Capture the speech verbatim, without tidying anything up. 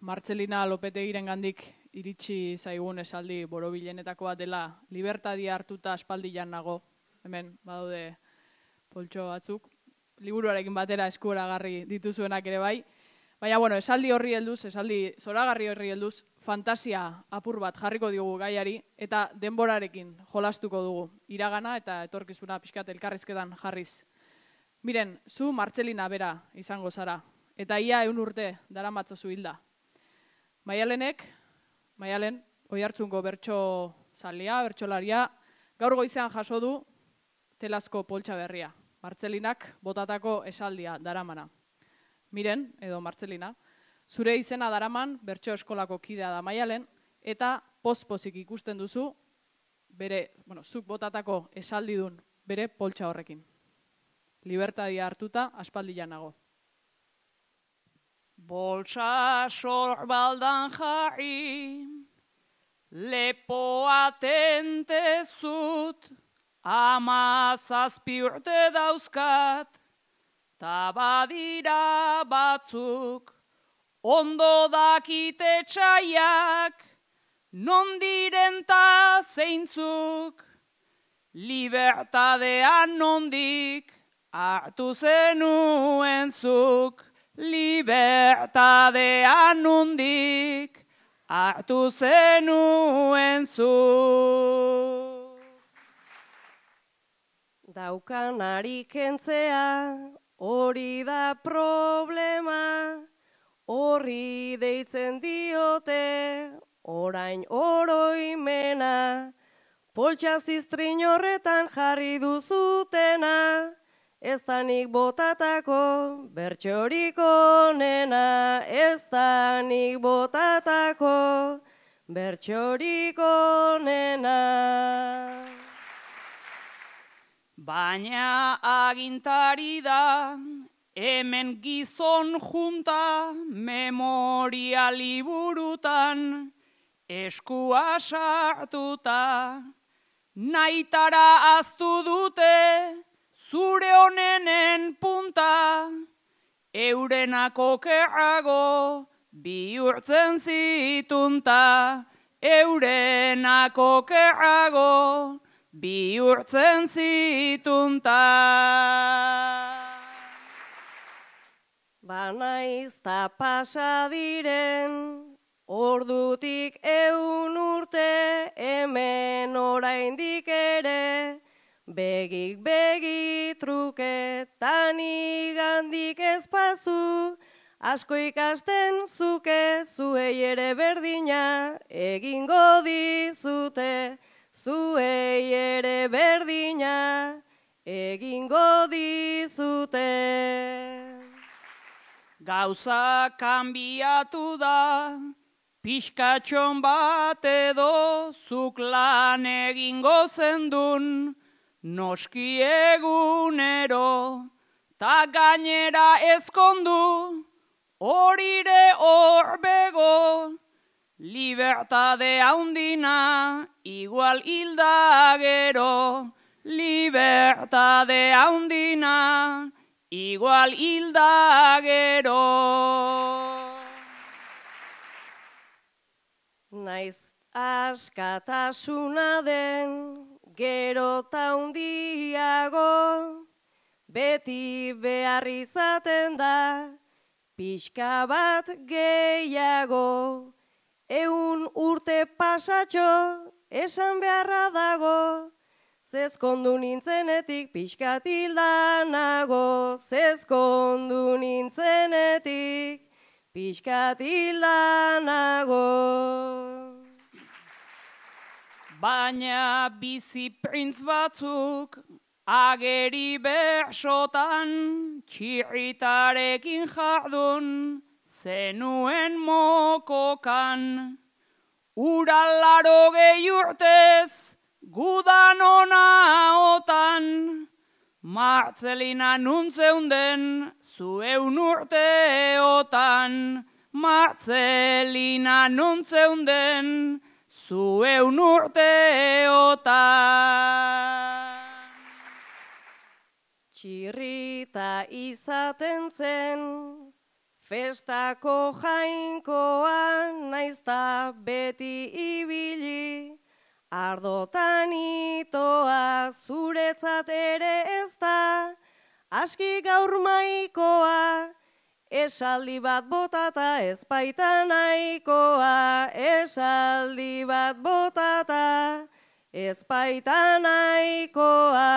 Martzelina Lopetegirengandik iritsi zaigun esaldi borobilenetako bat dela libertadia hartuta aspaldian nago. Hemen badaude poltxo batzuk. Liburuarekin batera eskuragarri dituzuenak ere bai. Baina, bueno, esaldi horri helduz, esaldi zoragarri horri helduz, fantasia apur bat jarriko diogu gaiari, eta denborarekin jolastuko dugu iragana eta etorkizuna pixkat elkarrizketan jarriz. Miren, zu Martzelina bera izango zara, eta ia eun urte daramatzazu hilda. Maialenek, Maialen, Oiartzungo bertso zalia, bertsolaria, gaur goizean jaso du telazko poltsa berria. Martzelinak botatako esaldia daramana. Miren, edo Martzelina, zure izena daraman bertso eskolako kidea da Maialen, eta poz-pozik ikusten duzu, bere, bueno, zuk botatako esaldidun bere poltsa horrekin. Libertadia hartuta aspaldian nago. Boltsa sorbaldan jarri, lepoa tentezut, ama zazpi urte dauzkat, ta badira batzuk, ondo dakite txaiak, non diren ta zeintzuk, libertadean nondik, hartu zenuen zuk, libertadean nondik, hartu zenuen zuk. Daukanari kentzea, hori da problema, horri deitzen diote, orain oroimena, poltsa ziztrin horretan jarri duzutena, ez da nik botatako bertsorik onena, ez da nik botatako bertsorik onena. Baina agintari da, hemen gizon junta, memoria liburutan, eskua sartuta, naitara aztu dute, zure honenen punta, eurenako kerrago, bihurtzen zitunta, eurenako kerrago, bihurtzen zitunta. Banaizta pasa diren, ordutik eun urte, hemen oraindik ere, begik begi truke, tani gandik ezpazu, asko ikasten zuke, zuei ere berdina, egingo dizute, zuei ere berdina, egingo dizute. Gauza kanbiatu da, pixkatxon bat edo, zuk lan egingo zendun, noski egunero, ta gainera ezkondu, horire horbego, libertade haundina, igual hilda gero, libertade haundina, igual hilda gero. Naiz askatasuna den, gero ta hundiago, beti behar izaten da, pixka bat gehiago, eun urte pasatxo, esan beharra dago, zezkondu nintzenetik pixkat hildanago, zezkondu nintzenetik pixkat hildanago. Baina bizi printz batzuk, ageri bersotan, txirritarekin jardun, zenuen mokokan. Uralaro gehi urtez, gudan ona otan, Martzelina nuntzeunden, zueun urteotan, Martzelina nuntzeunden, zueun urteotan. Txirrita izaten zen, Festako jainkoa naizta beti ibili, ardotan itoa zuretzat ere ez da, aski gaur maikoa, esaldi bat botata ez baita nahikoa, esaldi bat botata ez baita nahikoa.